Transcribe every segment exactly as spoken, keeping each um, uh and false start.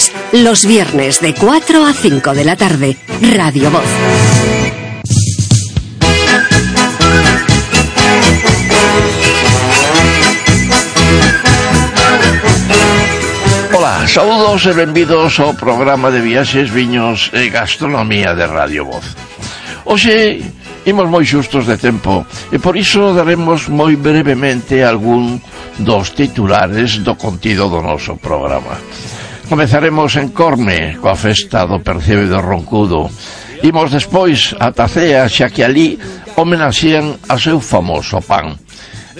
Voces, los viernes de cuatro a cinco de la tarde, Radio Voz. Ola, saúdos e benvidos ao programa de viaxes, viños e gastronomía de Radio Voz. Hoxe imos moi xustos de tempo e por iso daremos moi brevemente algún dos titulares do contido do noso programa. Comezaremos en Corme coa festa do percebe do Roncudo. Imos despois a Tacea, xa que ali homenaxean a seu famoso pan.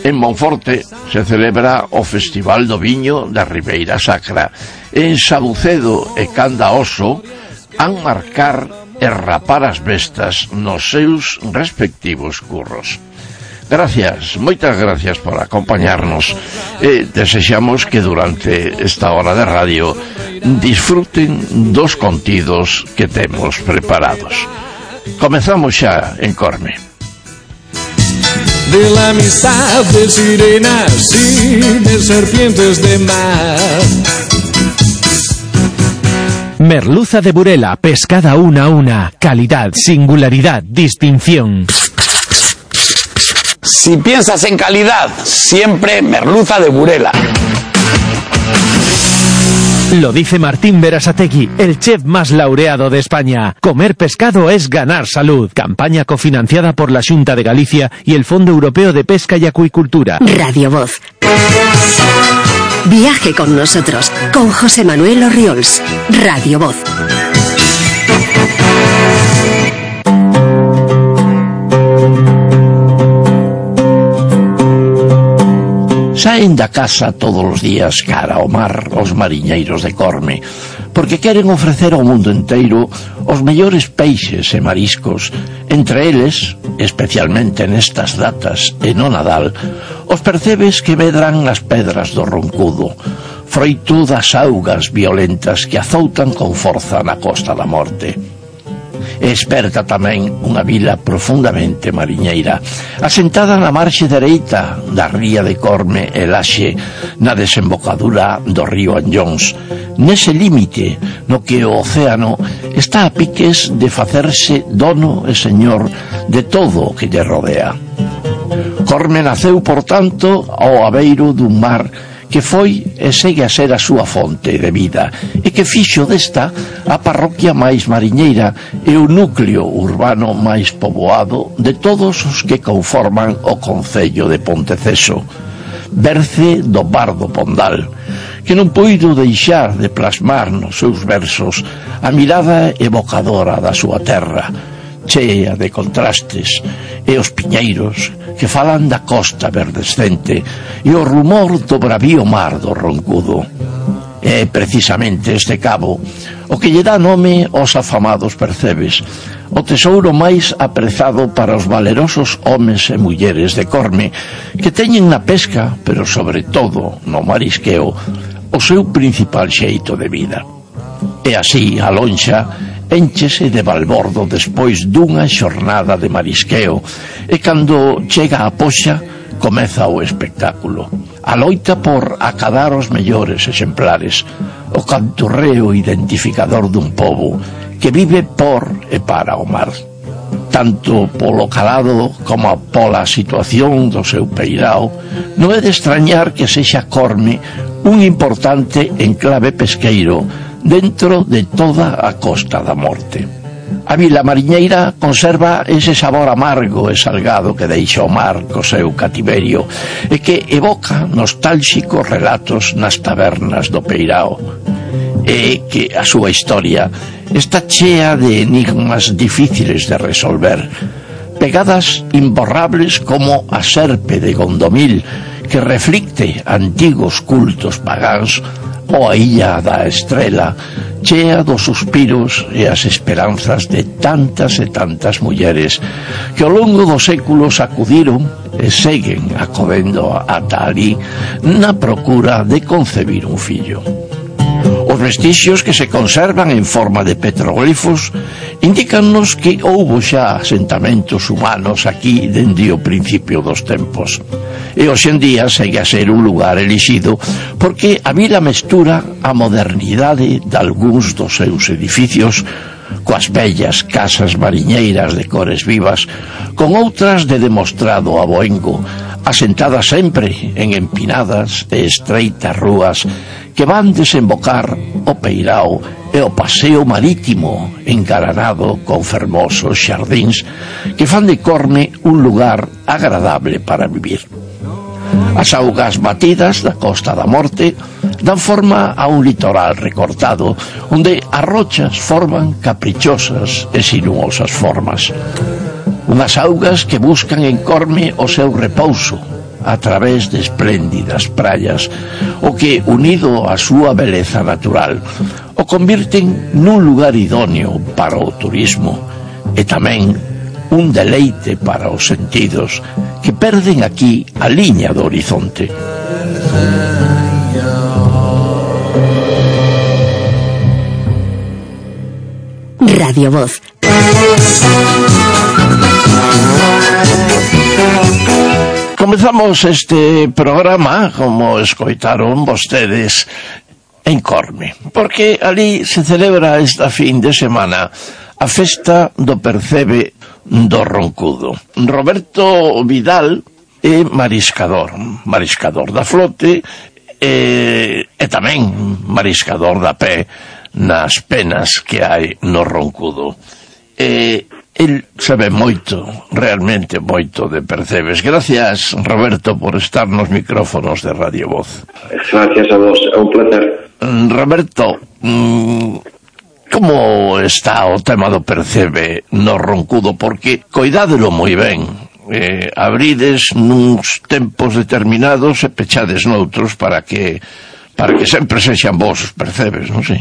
En Monforte se celebra o Festival do Viño da Ribeira Sacra. En Sabucedo e Candaoso han marcar e rapar as bestas nos seus respectivos curros. Gracias, moitas gracias por acompañarnos e desexamos que durante esta hora de radio disfruten dos contidos que temos preparados. Comezamos xa en Corme. De la amistad de sirenas y de serpientes de mar. Merluza de Burela, pescada una a una, calidad, singularidad, distinción. Si piensas en calidad, siempre merluza de Burela. Lo dice Martín Berasategui, el chef más laureado de España. Comer pescado es ganar salud. Campaña cofinanciada por la Xunta de Galicia y el Fondo Europeo de Pesca y Acuicultura. Radio Voz. Viaje con nosotros, con José Manuel Orriols. Radio Voz. Saen da casa todos os días cara ao mar os mariñeiros de Corme, porque queren ofrecer ao mundo enteiro os mellores peixes e mariscos, entre eles, especialmente nestas datas e no Nadal, os percebes que medran as pedras do Roncudo, froito das augas violentas que azoutan con forza na Costa da Morte. E esperta tamén unha vila profundamente mariñeira, asentada na marxe dereita da ría de Corme e Laxe, na desembocadura do río Anllóns, nese límite no que o océano está a piques de facerse dono e señor de todo o que lle rodea. Corme naceu, por tanto, ao abeiro dun mar que foi e segue a ser a súa fonte de vida e que fixo desta a parroquia máis mariñeira e o núcleo urbano máis poboado de todos os que conforman o concello de Ponteceso, berce do Bardo Pondal, que non puido deixar de plasmar nos seus versos a mirada evocadora da súa terra, chea de contrastes, e os piñeiros que falan da costa verdescente e o rumor do bravío mar do Roncudo. É precisamente este cabo o que lle dá nome aos afamados percebes, o tesouro máis aprezado para os valerosos homes e mulleres de Corme, que teñen na pesca, pero sobre todo no marisqueo, o seu principal xeito de vida. E así a lonxa énchese de balbordo despois dunha xornada de marisqueo e cando chega a poxa comeza o espectáculo, a loita por acadar os mellores exemplares, o canturreo identificador dun pobo que vive por e para o mar, tanto polo calado como pola situación do seu peirao. Non é de extrañar que sexa Corme un importante enclave pesqueiro dentro de toda a Costa da Morte. A vila mariñeira conserva ese sabor amargo e salgado que deixa o mar co seu cativerio e que evoca nostálxicos relatos nas tabernas do peirao, e que a súa historia está chea de enigmas difíciles de resolver, pegadas imborrables como a serpe de Gondomil, que reflicte antigos cultos pagáns, ou a illa da Estrela, chea dos suspiros e as esperanzas de tantas e tantas mulleres que ao longo dos séculos acudiron e seguen acodendo ata ali na procura de concebir un fillo. Os vestixios que se conservan en forma de petroglifos indícannos que houbo xa asentamentos humanos aquí dende o principio dos tempos. e hoxe en día segue a ser un lugar elixido porque a vila mestura a modernidade de algúns dos seus edificios coas bellas casas mariñeiras de cores vivas, con outras de demostrado aboengo, asentadas sempre en empinadas e estreitas rúas que van desembocar o Peirao e o paseo marítimo engalanado con fermosos xardíns que fan de Corme un lugar agradable para vivir. As augas batidas da Costa da Morte dan forma a un litoral recortado onde as rochas forman caprichosas e sinuosas formas. Unhas augas que buscan en Corme o seu repouso a través de espléndidas praias, o que, unido á súa beleza natural, o convirten nun lugar idóneo para o turismo e tamén un deleite para os sentidos que perden aquí a liña do horizonte. Radio Voz. Comezamos este programa, como escoitaron vostedes, en Corme, porque ali se celebra esta fin de semana a festa do percebe do Roncudo. Roberto Vidal é mariscador, mariscador da flote e, e tamén mariscador da pé nas penas que hai no Roncudo. E el sabe moito, realmente moito de percebes. Gracias, Roberto, por estar nos micrófonos de Radio Voz. Gracias a vos, é un placer. Roberto, como está o tema do percebe no Roncudo? Porque coidádelo moi ben, eh, abrides nuns tempos determinados e pechades noutros para que para que sempre sexan vos os percebes, non sei?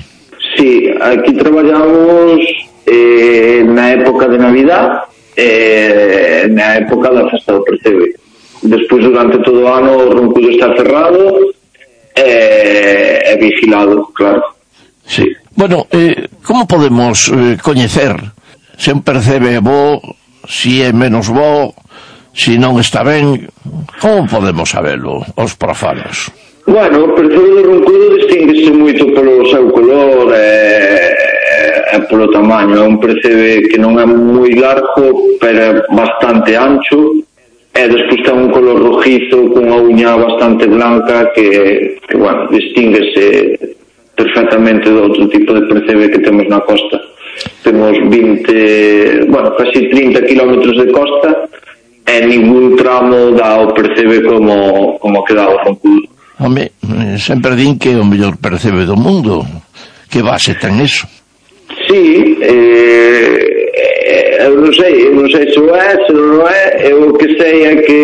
Sí, aquí traballamos eh, na época de Navidad e eh, na época da festa do percebe. Despois, durante todo o ano, o Roncudo está cerrado e eh, vigilado, claro. Sí. Bueno, eh, como podemos eh, coñecer se un percebe bo, si é menos bo, si non está ben? Como podemos sabelo, os profanos? Bueno, o percebe do Roncudo distinguese moito polo seu color e, e polo tamaño. É un percebe que non é moi largo, pero é bastante ancho, e despois ten un color rojizo con unha uña bastante blanca que, que bueno, distinguese perfectamente do outro tipo de percebe que temos na costa. Temos vinte, bueno, casi trinta kilómetros de costa e ningún tramo dá o percebe como, como que dá o Roncudo. Home, sempre din que é o mellor percebe do mundo. Que base ten eso? Sí, eh, eu non sei, eu non sei se o é, se non o é. Eu o que sei é que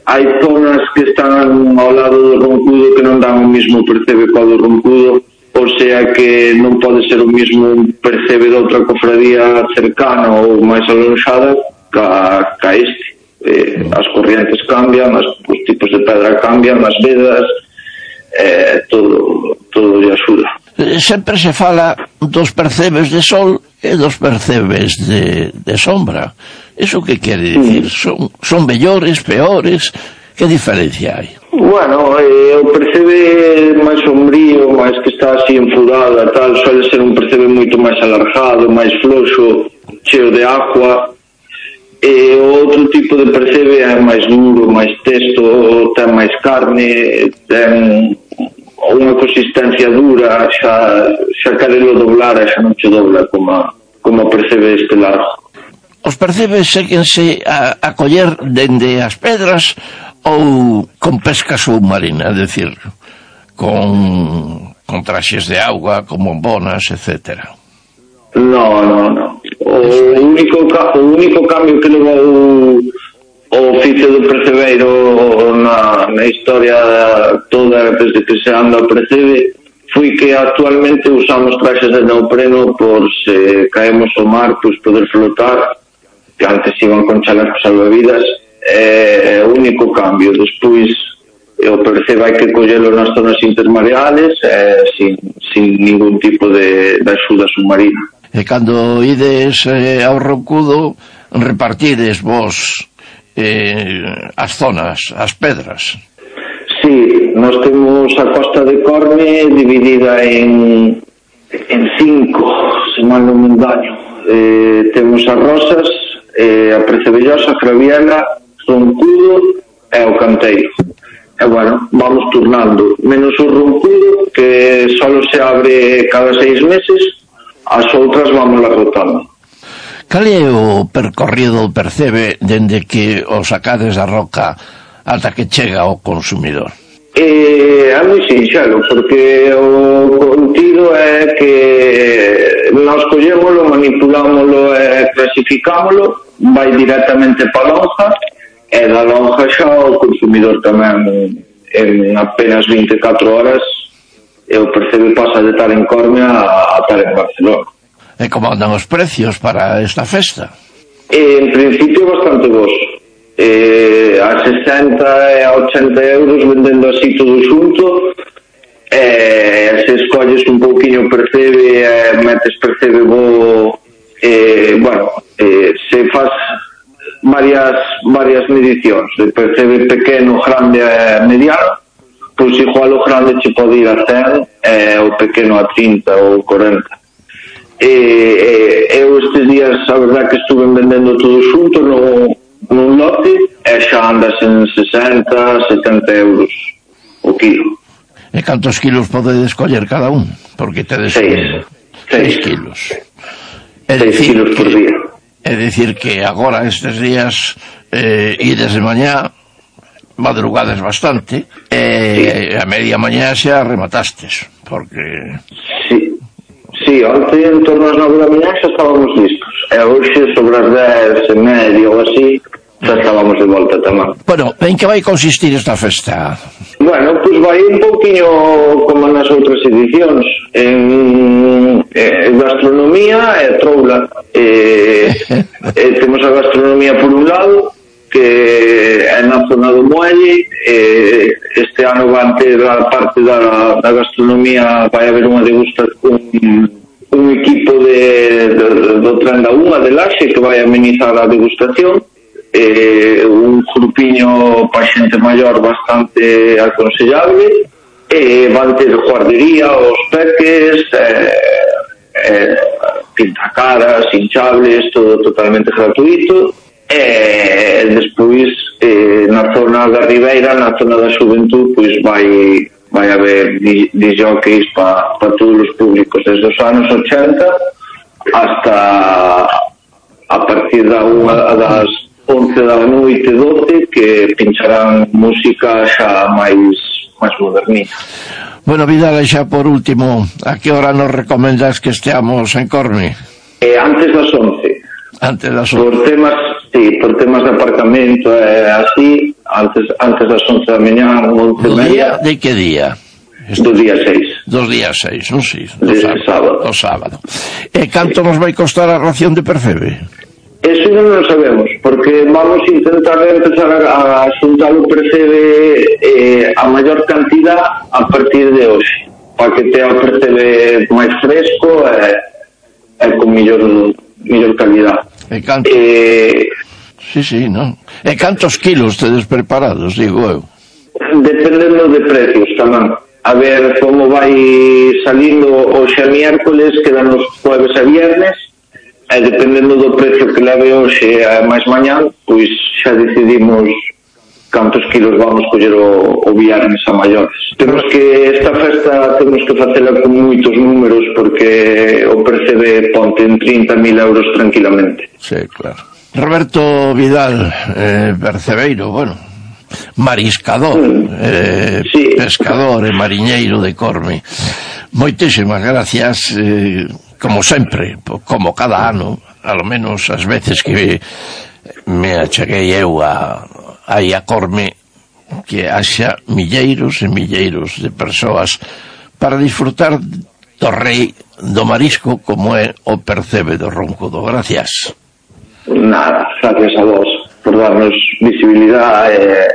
hai zonas que están ao lado do Roncudo que non dan o mismo percebe co do Roncudo, ou sea que non pode ser o mismo percebe de outra cofradía cercana ou máis alonxada ca, ca este. Eh, as corrientes cambian, as, os tipos de pedra cambian, as vedas, eh, todo, todo lle axuda. Sempre se fala dos percebes de sol e dos percebes de, de sombra. Eso que quere dicir? Mm. Son, son mellores, peores? Que diferencia hai? Bueno, eh, o percebe máis sombrío, máis que está así enfurado e tal, suele ser un percebe moito máis alargado, máis floxo, cheo de agua. E o outro tipo de percebe é máis duro, máis testo, ten máis carne, ten unha consistencia dura, xa, xa querelo doblar e xa non che dobla como, como percebe este largo. Os percebes séguense a, a coller dende as pedras ou con pesca submarina, é dicir, con, con traxes de auga, con bombonas, etcétera. No, no, no. O único, o único cambio que levou o oficio do percebeiro na, na historia toda desde que se anda o percebe foi que actualmente usamos traxes de neopreno por se caemos ao mar, pois poder flotar, que antes iban con chalecos salvavidas. É o único cambio. Despois o percebe hai que collelo nas zonas intermareales eh, sin, sin ningún tipo de, de axuda submarina. E cando ides eh, ao Roncudo, repartides vos eh, as zonas, as pedras. Sí, nós temos a costa de Corme dividida en en cinco, se mal non me engaño. Eh, temos as Rosas, eh, a Percebellosa, a Craviela, Roncudo e o Canteiro. E bueno, vamos turnando, menos o Roncudo, que solo se abre cada seis meses, as outras vamos la rotando. Cal é o percorrido do Percebe dende que o sacades da roca ata que chega ao consumidor? Eh, é moi sinxelo, porque o contido é que nós collémolo, manipulámolo e clasificámolo, vai directamente para a lonja, e da lonja xa o consumidor tamén en apenas vinte e catro horas, e o Percebe pasa de estar en Corme a, a estar en Barcelona. E como andan os precios para esta festa? En principio bastante bons. Eh, a sesenta e a ochenta euros vendendo así todo xunto, e se escolles un pouquiño Percebe e metes Percebe bo, eh, bueno, eh, se faz varias varias medicións de Percebe pequeno, grande e mediano, pois igual o grande che pode ir a cen e o pequeno a trinta ou cuarenta. E, e, eu estes días a verdad que estuve vendendo todo xunto no, nun lote e xa andas en sesenta, setenta euros o kilo. E cantos kilos podedes coller cada un? Porque tedes seis, seis kilos. É seis kilos por día. É dicir que agora estes días eh, ides de mañá, madrugades bastante, e sí. A media mañá xa rematastes, porque... Sí. Sí, onte en torno ás nove da mañá xa estábamos listos. E hoxe sobre as dez e media ou así xa estábamos de volta tamén. Bueno, en que vai consistir esta festa? Bueno, pois pues vai un pouquiño como nas outras edicións, en, en gastronomía e troula. E, e temos a gastronomía por un lado, que é na zona do Muelle. E este ano van ter a parte da, da gastronomía, vai haber unha degustación, un, un equipo de, de, do tren da unha de Laxe que vai amenizar a degustación, eh, un grupiño pa xente maior bastante aconsellable, e van ter guardería, os peques, eh, eh, pintacaras, hinchables, todo totalmente gratuito. E despois eh, na zona da Ribeira, na zona da Xuventud, pois vai vai haber disjockeys para pa todos os públicos, desde os anos ochenta hasta a partir da unha das once da noite, doce, que pincharán música xa máis máis modernita. Bueno, Vidal, xa por último, a que hora nos recomendas que esteamos en Corme? Eh, antes das once. Antes das once. Por temas, sí, por temas de aparcamento e eh, así, antes antes das once da mañá, once e media. De que día? Do día seis. Dos días seis, non sei. Do sábado. O sábado. E canto nos vai costar a ración de Percebe? Eso non lo sabemos, porque vamos a intentar empezar a, a xuntar o Percebe eh, a maior cantidad a partir de hoxe, para que tea o Percebe máis fresco e, e con millor, millor calidad. E canto... Eh, sí, sí, non. E cantos kilos tedes preparados, digo eu? Dependendo de precios tamén. A ver como vai salindo hoxe a miércoles, quedan os jueves e viernes, e dependendo do precio que leve hoxe a máis mañán, pois xa decidimos cantos kilos vamos coller o, o viernes a maiores. Temos que esta festa temos que facela con moitos números, porque o Percebe ponte en trinta mil euros tranquilamente. Sí, claro. Roberto Vidal, eh, percebeiro, bueno, mariscador, mm. eh, sí. pescador e mariñeiro de Corme. Moitísimas gracias, eh, como sempre, como cada ano, ao menos as veces que me acheguei eu a, aí a Corme, que haxa milleiros e milleiros de persoas para disfrutar do rei do marisco como é o Percebe do Roncudo. Gracias. Nada, gracias a vos por darnos visibilidade e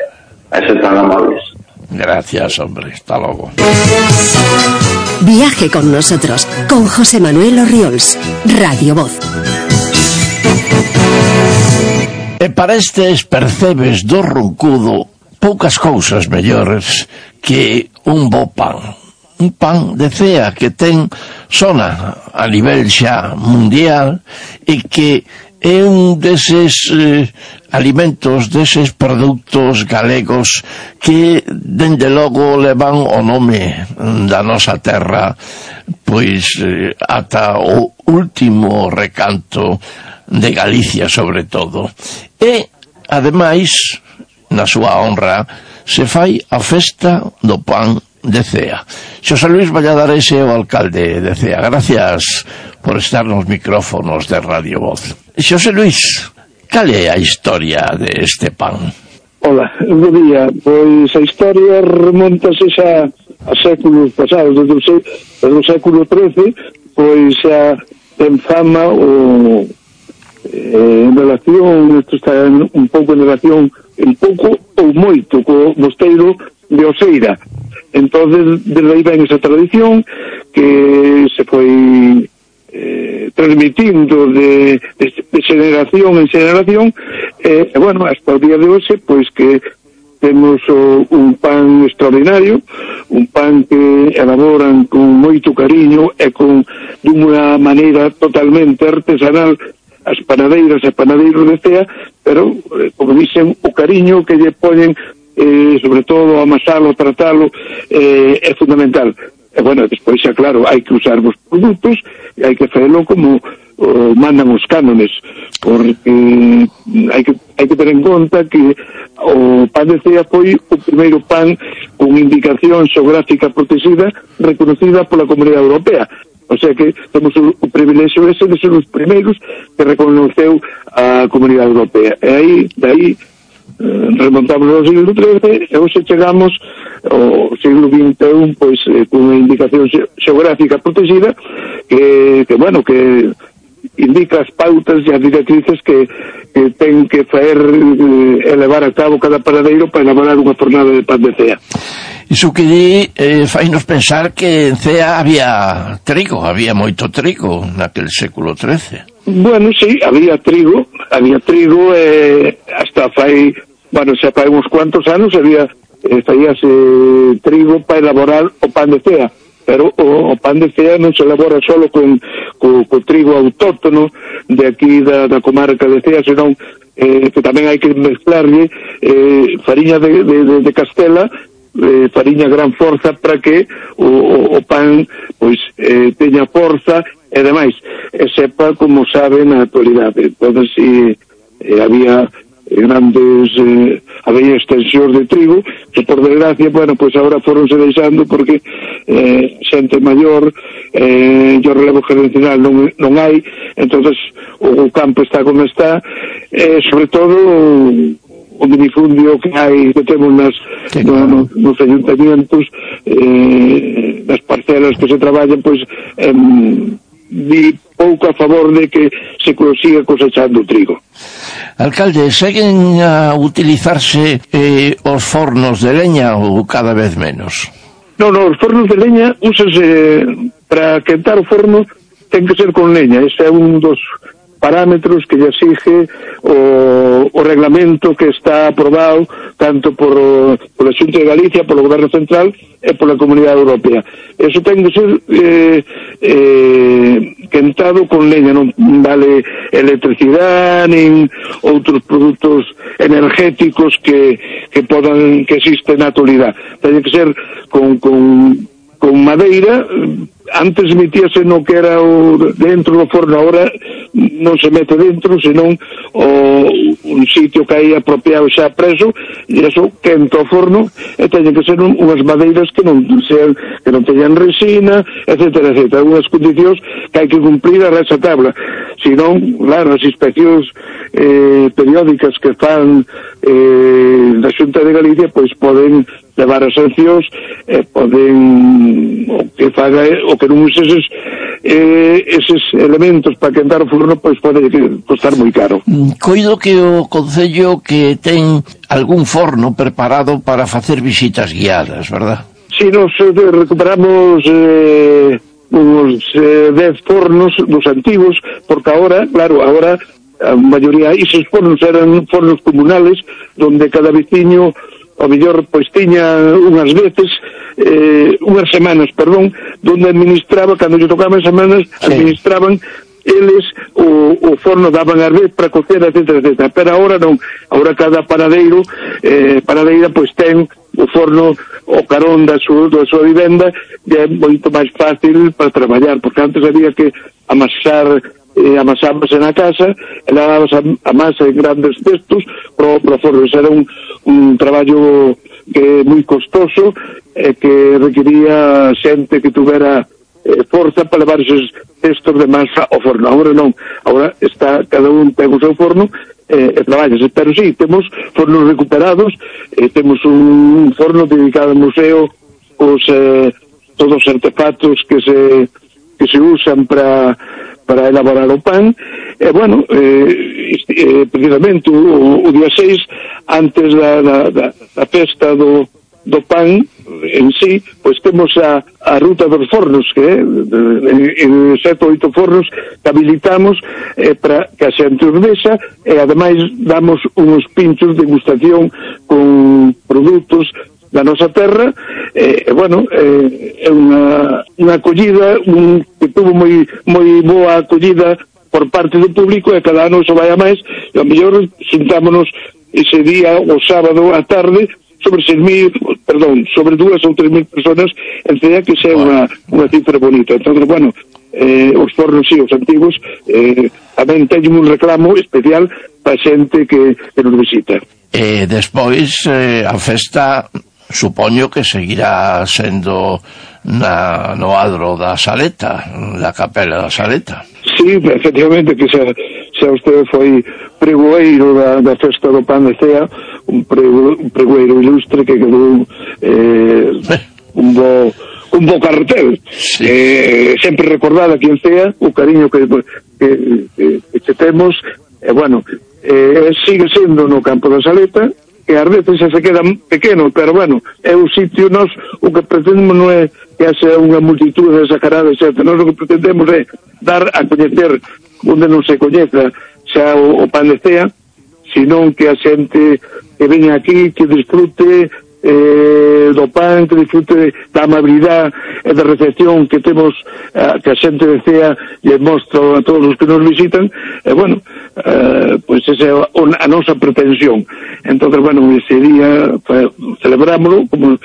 a ser tan amables. Gracias, hombre. Hasta luego. Viaje con nosotros, con José Manuel Orriols, Radio Voz. E para estes percebes do roncudo poucas cousas mellores que un bo pan. Un pan de cea que ten sona a nivel xa mundial e que é un deses eh, alimentos, deses produtos galegos que dende logo levan o nome da nosa terra pois eh, ata o último recanto de Galicia sobre todo. E ademais na súa honra se fai a festa do pan de Cea. Xosé Luis Valladares é o alcalde de Cea. Gracias por estar nos micrófonos de Radio Voz. Xosé Luis, cal é a historia deste pan? Hola, bo día. Pois a historia remontase xa a séculos pasados, desde o, sé, desde o século trece, pois xa ten fama o eh, en relación, isto está un pouco en relación, un pouco ou moito co mosteiro de Oseira. Entonces, desde aí ven esa tradición que se foi eh, transmitindo de, de, de generación en generación e, eh, bueno, hasta o día de hoxe, pois que temos o, un pan extraordinario, un pan que elaboran con moito cariño e con dunha maneira totalmente artesanal as panadeiras e panadeiros de Cea, pero, eh, como dicen, o cariño que lle poñen Eh, sobre todo amasalo, tratalo eh, é fundamental. E bueno, despois xa claro, hai que usar os produtos e hai que facelo como oh, mandan os cánones, porque hai que, hai que ter en conta que o pan de Cea foi o primeiro pan con indicación xeográfica protegida reconocida pola Comunidade Europea. O sea que temos o, o privilexio ese de ser os primeiros que reconoceu a Comunidade Europea. E aí, de aí remontamos ao siglo trece e hoxe chegamos ao siglo vinte e un pois eh, con unha indicación xeográfica protegida que, que bueno, que indica as pautas e as directrices que, que ten que faer eh, elevar a cabo cada panadeiro para elaborar unha fornada de pan de Cea. Iso que di eh, fainos pensar que en Cea había trigo, había moito trigo naquel século trece. Bueno, sí, había trigo, había trigo eh, hasta fai, bueno, xa fai uns cuantos anos había, eh, faíase trigo para elaborar o pan de Cea, pero o, o pan de Cea non se elabora solo con, con, con trigo autóctono de aquí da, da comarca de Cea, senón eh, que tamén hai que mezclarlle eh, fariña de, de, de, de Castela, eh, fariña gran forza para que o, o, o pan pois eh, teña forza e demais, e sepa como sabe na actualidade. Entón, si eh, había grandes eh, había extensións de trigo que por desgracia, bueno, pois agora foronse deixando porque eh, xente maior eh, o relevo generacional non, non hai, entonces o, o campo está como está, e eh, sobre todo o minifundio que hai, que temos nas, sí, no, no, nos ayuntamientos, eh, nas parcelas que se traballan, pois eh, di pouco a favor de que se consiga cosechando o trigo. Alcalde, seguen a utilizarse eh, os fornos de leña ou cada vez menos? Non, non, os fornos de leña úsase para quentar o forno, ten que ser con leña. Ese é un dos parámetros que lle exige o, o reglamento que está aprobado tanto por, por a Xunta de Galicia, polo Goberno Central e pola Comunidade Europea. Eso ten que ser eh, eh, quentado con leña, non vale electricidade nin outros produtos energéticos que, que podan que existen na actualidade. Ten que ser con, con, con madeira. Antes metíase no que era o dentro do forno, agora non se mete dentro, senón o, un sitio que hai apropiado xa preso, e iso quenta o forno, e teñen que ser un, unhas madeiras que non sean, que non teñan resina, etcétera, etcétera, unhas condicións que hai que cumplir a esa tabla. Senón, claro, as inspeccións eh, periódicas que fan eh, da Xunta de Galicia, pois poden levar as sancións e eh, poden o que faga o que non use eses, eh, eses elementos para quentar o forno, pois pode costar moi caro. Coido que o Concello que ten algún forno preparado para facer visitas guiadas, verdad? Si, nos eh, recuperamos eh, uns eh, dez fornos dos antigos, porque agora, claro, agora a maioría, esos fornos eran fornos comunales, donde cada veciño, o mellor, pois tiña unhas veces, eh, unhas semanas, perdón, donde administraba, cando lle tocaban semanas, sí, administraban eles o, o forno, daban a vez para cocer, etcétera, etcétera. Pero agora non, agora cada paradeiro, eh, paradeira, pois ten o forno o carón da súa, da súa vivenda, e é moito máis fácil para traballar, porque antes había que amasar, eh, amasábase na casa, e lavabas a, a masa en grandes cestos pro, pro forno. Eso era un, un traballo que é moi costoso, e que requería xente que tuvera eh, forza para levar esos cestos de masa ao forno. Agora non, agora está, cada un ten o seu forno eh, e traballas, pero sí, temos fornos recuperados, eh, temos un forno dedicado ao museo, os eh, todos os artefactos que se que se usan para para elaborar o pan, e bueno, eh, eh, precisamente o, o día seis, antes da, da, da, da festa do do pan en sí, pois temos a, a ruta dos fornos, que é en, en sete ou oito fornos que habilitamos eh, para que a xente os vexa, e ademais damos uns pinchos de degustación con produtos da nosa terra, e eh, bueno, eh, é unha, unha acollida un, que tuvo moi, moi boa acollida por parte do público, e cada ano iso vai a máis, e ao mellor xuntámonos ese día, o sábado á tarde, sobre seis mil, perdón, sobre dúas ou tres mil personas, en Cea, que xa é unha, unha cifra bonita. Entón, bueno, eh, os fornos, sí, os antigos, eh, tamén teñen un reclamo especial para xente que, que nos visita. E despois, eh, a festa, supoño que seguirá sendo na, no adro da Saleta, da capela da Saleta. Sí, efectivamente, que xa, xa usted foi pregoeiro da, da festa do pan de Cea, un, prego, un pregoeiro ilustre que quedou eh, un bo un bo carretel, sí. eh, sempre recordada aquí en Cea, o cariño que, que, que, que temos, e eh, bueno, eh, sigue sendo no campo da Saleta, que ás veces xa se queda pequeno, pero bueno, é un sitio, nós o que pretendemos non é que haxa unha multitud desacarada, etcétera. Nós o que pretendemos é dar a coñecer onde non se coñeza xa o, o pan de Cea, senón que a xente que veña aquí, que disfrute eh, do pan, que disfrute da amabilidade e da recepción que temos, eh, que a xente de Cea lle mostra a todos os que nos visitan, e bueno, eh, pois esa é a nosa pretensión. Entón, bueno, ese día celebrámoslo, como,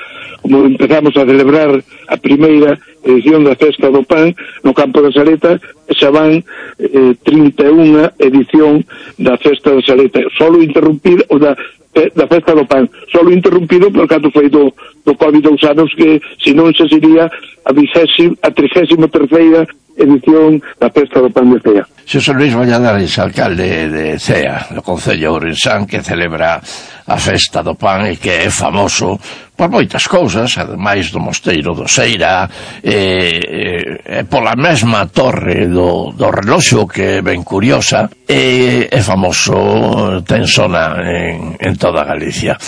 como empezamos a celebrar a primeira edición da Festa do Pan no campo da Saleta, xa van eh, trinta e unha edición da Festa da Saleta, solo interrumpida, o da da Festa do Pan, solo interrumpido por canto foi do, do COVID dous anos, que senón xa sería a vigésima, a trigésima terceira edición da Festa do Pan de Cea. Xosé Luis Valladares, alcalde de Cea, do Concello de Ourensán, que celebra a Festa do Pan e que é famoso por moitas cousas, ademais do Mosteiro do Seira, e, e, e pola mesma torre do, do reloxo, que é ben curiosa, e é famoso, ten zona en, en toda Galicia.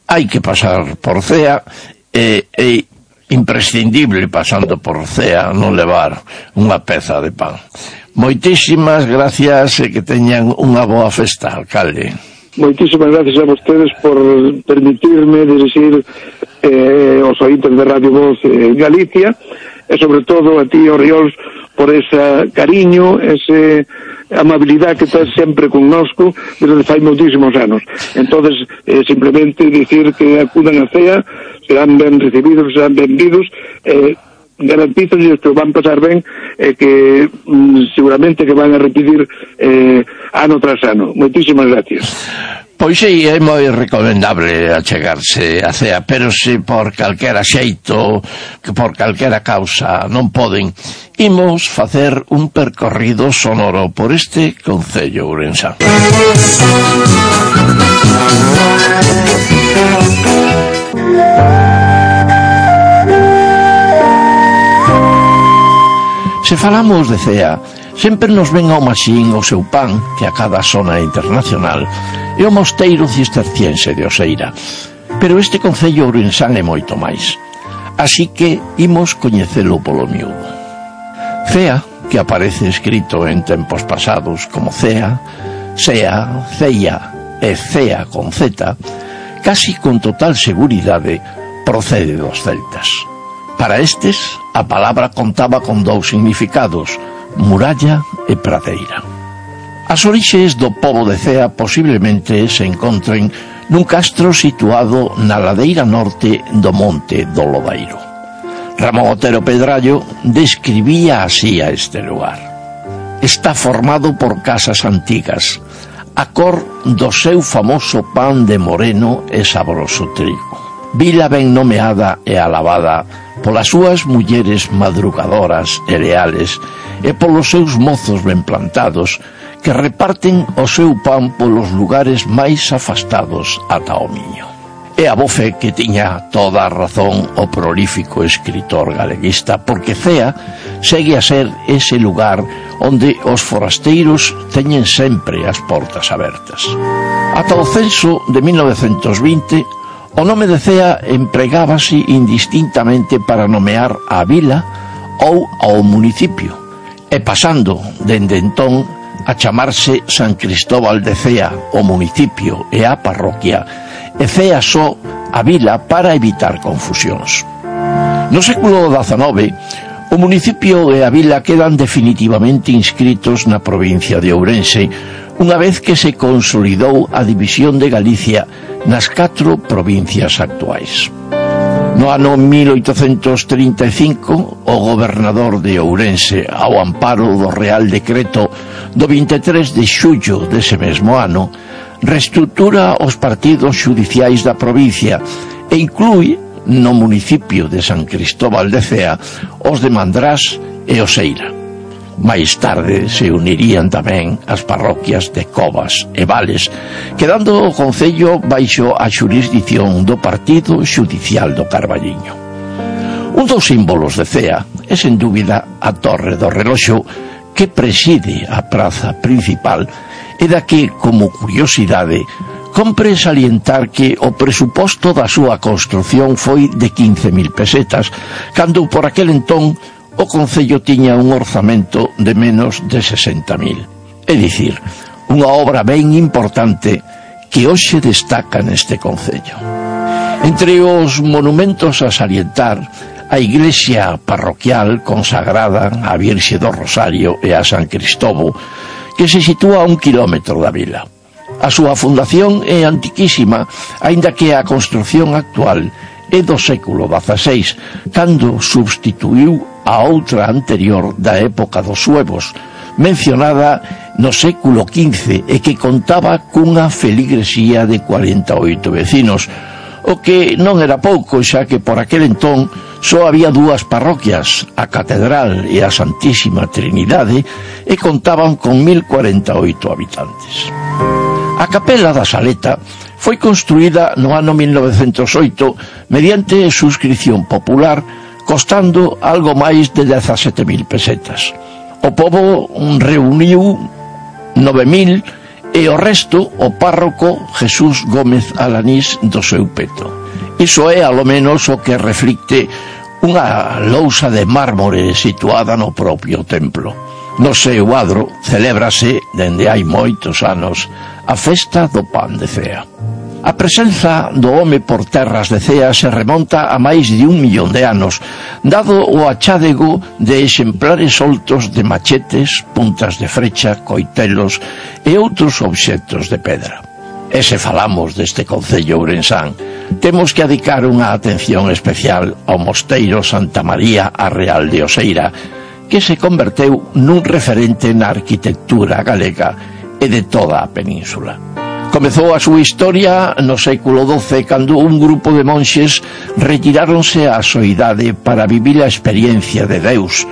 Hai que pasar por Cea, e, e imprescindible, pasando por Cea, non levar unha peza de pan. Moitísimas gracias e que teñan unha boa festa, alcalde. Moitísimas gracias a vostedes por permitirme dirixir eh, os ointes de Radio Voz en Galicia, e sobre todo a ti, Oriols, por ese cariño, ese amabilidade que estás sempre connosco desde fai moitísimos anos. Entonces, eh, simplemente dicir que acudan a Cea, serán ben recibidos, serán benvidos, eh, garantizo que van pasar ben, e eh, que mm, seguramente que van a repetir eh, ano tras ano. Moitísimas gracias. Pois sí, é moi recomendable achegarse a Cea, pero se por calquera xeito, que por calquera causa non poden, imos facer un percorrido sonoro por este Concello Ourensán. Se falamos de Cea, sempre nos ven ao maxín o seu pan, que a cada zona internacional, e o mosteiro cisterciense de Oseira. Pero este Concello Ourensán é moito máis. Así que imos coñecelo polo miúdo. Cea, que aparece escrito en tempos pasados como Cea, Sea, Ceia e Cea con Z, casi con total seguridade procede dos celtas. Para estes, a palabra contaba con dous significados, muralla e pradeira. As orixes do pobo de Cea posiblemente se encontren nun castro situado na ladeira norte do monte do Lodairo. Ramón Otero Pedrallo describía así a este lugar. Está formado por casas antigas, a cor do seu famoso pan de moreno e sabroso trigo. Vila ben nomeada e alabada polas súas mulleres madrugadoras e leales e polos seus mozos ben plantados que reparten o seu pan polos lugares máis afastados ata o Miño. E a vofe que tiña toda a razón o prolífico escritor galeguista, porque Cea segue a ser ese lugar onde os forasteiros teñen sempre as portas abertas. Ata o censo de mil novecentos vinte, o nome de Cea empregábase indistintamente para nomear a vila ou ao municipio, e pasando dende entón a chamarse San Cristóbal de Cea, o municipio e a parroquia, e Cea só a vila para evitar confusións. No século dezanove, o municipio e a vila quedan definitivamente inscritos na provincia de Ourense, unha vez que se consolidou a división de Galicia nas catro provincias actuais. No ano mil oitocentos trinta e cinco, o gobernador de Ourense, ao amparo do Real Decreto do vinte e tres de xullo dese mesmo ano, reestrutura os partidos xudiciais da provincia e inclúe no municipio de San Cristóbal de Cea os de Mandrás e Oseira. Máis tarde se unirían tamén as parroquias de Covas e Vales, quedando o concello baixo a xurisdición do partido xudicial do Carballiño. Un dos símbolos de Cea é sen dúbida a Torre do Reloxo, que preside a praza principal e da que, como curiosidade, compre salientar que o presuposto da súa construción foi de quince mil pesetas, cando por aquel entón o concello tiña un orzamento de menos de sesenta mil. É dicir, unha obra ben importante que hoxe destaca neste concello. Entre os monumentos a salientar, a iglesia parroquial consagrada á Virxe do Rosario e a San Cristobo, que se sitúa a un kilómetro da vila. A súa fundación é antiquísima, aínda que a construción actual é do século dezaseis, cando substituíu a outra anterior da época dos suevos, mencionada no século quince e que contaba cunha feligresía de cuarenta e oito vecinos, o que non era pouco, xa que por aquel entón só había dúas parroquias, a Catedral e a Santísima Trinidade, e contaban con mil cuarenta e oito habitantes. A capela da Saleta foi construída no ano mil novecentos oito mediante suscripción popular, costando algo máis de dezasete mil pesetas. O pobo reuniu nove mil e o resto o párroco Jesús Gómez Alanís do seu peto. Iso é, alo menos, o que reflicte unha lousa de mármore situada no propio templo. No seu adro celébrase, dende hai moitos anos, a festa do pan de Cea. A presenza do home por terras de Cea se remonta a máis de un millón de anos, dado o achádego de exemplares soltos de machetes, puntas de frecha, coitelos e outros obxectos de pedra. E se falamos deste concello ourensán, temos que adicar unha atención especial ao mosteiro Santa María a Real de Oseira, que se converteu nun referente na arquitectura galega e de toda a península. Comezou a súa historia no século doce, cando un grupo de monxes retiráronse á soidade para vivir a experiencia de Deus,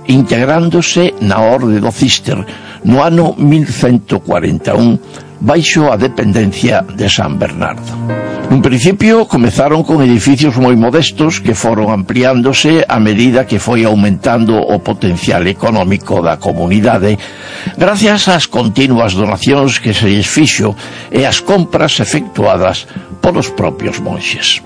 integrándose na Orde do Císter no ano mil cento cuarenta e un, baixo a dependencia de San Bernardo. En principio comezaron con edificios moi modestos que foron ampliándose a medida que foi aumentando o potencial económico da comunidade, gracias ás continuas donacións que se lles fixo e as compras efectuadas polos propios monxes.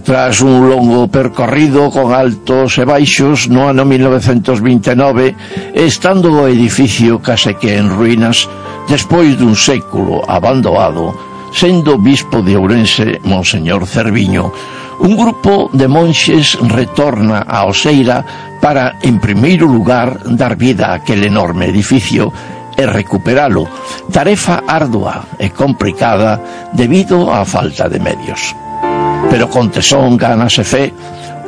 Tras un longo percorrido con altos e baixos, no ano mil novecentos vinte e nove, estando o edificio case que en ruínas, despois dun século abandonado, sendo bispo de Ourense Monseñor Cerviño, un grupo de monxes retorna a Oseira para, en primeiro lugar, dar vida a aquel enorme edificio e recuperalo, tarefa ardua e complicada debido á falta de medios. Pero con tesón, ganas e fe,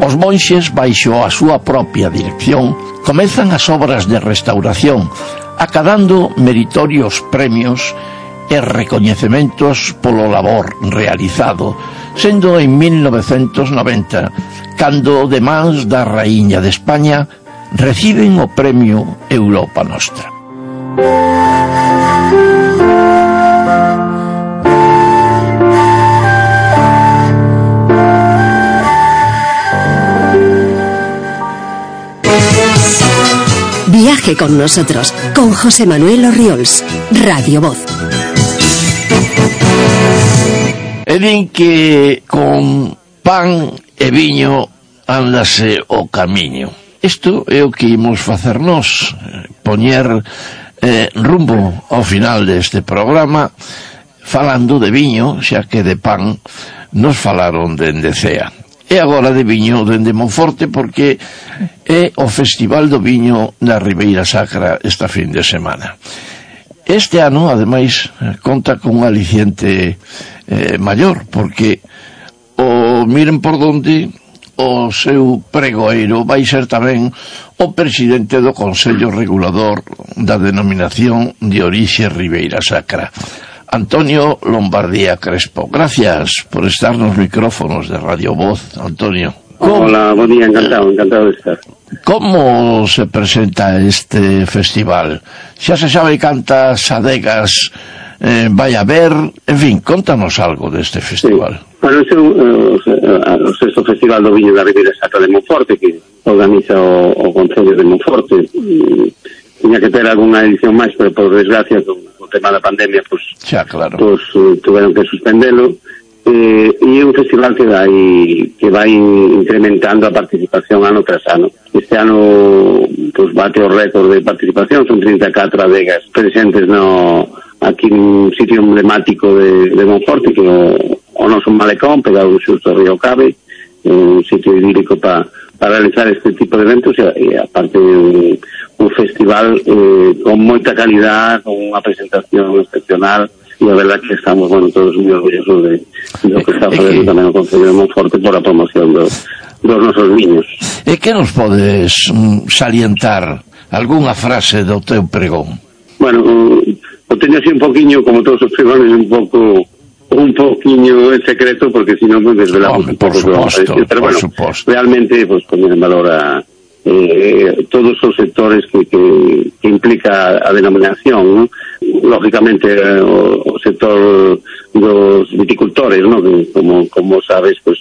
os monxes, baixo a súa propia dirección, comezan as obras de restauración, acadando meritorios premios e recoñecementos polo labor realizado, sendo en mil novecentos noventa, cando de mans da Raíña de España reciben o premio Europa Nostra. Viaje con nosotros, con José Manuel Orriols, Radio Voz. E din que con pan e viño ándase o camiño. Isto é o que imos facer nós, poñer eh, rumbo ao final deste programa falando de viño, xa que de pan nos falaron dende Cea. E agora de viño dende Monforte, porque é o Festival do Viño na Ribeira Sacra esta fin de semana. Este ano, ademais, conta con un aliciente eh, maior, porque o miren por donde o seu pregoeiro vai ser tamén o presidente do Consello Regulador da denominación de orixe Ribeira Sacra, Antonio Lombardía Crespo. Gracias por estar nos micrófonos de Radio Voz, Antonio. ¿Cómo? Hola, buen día, encantado, encantado de estar. Como se presenta este festival? Xa se sabe cantas adegas eh, vai a ver, en fin, contanos algo deste festival. Sí. Bueno, este é o sexto Festival do Viño da Ribeira Sacra de Monforte, que organiza o, o Concello de Monforte. Tiña que ter algunha edición máis, pero por desgracia con o tema da pandemia, pues, xa, claro, pues uh, tuveron que suspendelo. Eh, e é un festival que vai que vai incrementando a participación ano tras ano. Este ano pues bate o récord de participación, son trinta e catro adegas presentes no aquí un sitio emblemático de, de Monforte, que o, o noso malecón, pegado xusto ao río Cabe, un sitio idílico para pa realizar este tipo de eventos, e, e aparte un, un festival eh, con moita calidad, con unha presentación excepcional. E a verdad que estamos, bueno, todos moi orgullosos de, de lo que está facendo tamén o Concello de Monforte por a promoción do, dos nosos viños. E que nos podes mm, salientar algunha frase do teu pregón? Bueno, o teño así un poquinho, como todos os pregones, un pouco un poquinho en secreto, porque si non me desvelamos un pouco que vamos a decir. Pero bueno, suposto. Realmente, pues, poner en valor a eh, todos os sectores que, que, que implica a denominación, ¿no? Lógicamente eh, o, o sector dos viticultores, ¿no? Que, como, como sabes, pues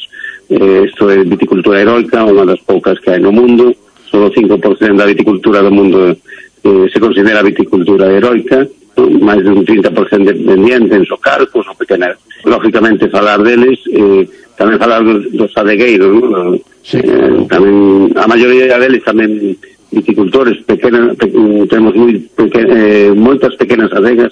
eh, isto é viticultura heroica, unha das poucas que hai no mundo. Solo o cinco por cento da viticultura do mundo eh, se considera viticultura heroica, ¿no? Máis de un trinta por cento dependiente en socalcos ou pequenas. Lógicamente falar deles, eh, tamén falar dos, dos adegueiros, ¿no? Sí. Eh, tamén a maioría deles tamén viticultores pequenas, pe, temos moi peque, eh, moitas pequenas adegas,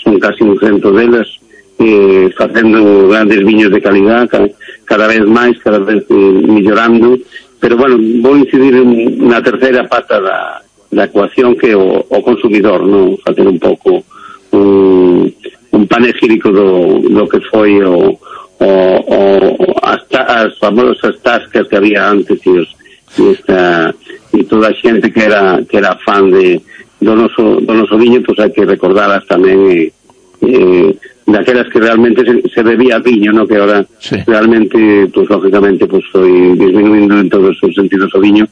son casi un cento delas, eh, facendo grandes viños de calidad, cada, cada vez máis, cada vez eh, mellorando. Pero bueno, vou incidir na terceira pata da, da ecuación, que é o, o consumidor, non? Facer un pouco un, un panegírico do, do que foi o O, o, as, as famosas tascas que había antes, e, os, e, esta, e toda a xente que era que era fan de, do, noso, do noso viño, pues hai que recordalas tamén, eh, eh, daquelas que realmente se, se bebía viño, ¿no? Que ahora sí. Realmente, pues lógicamente, pues foi disminuindo en todos os sentidos o viño,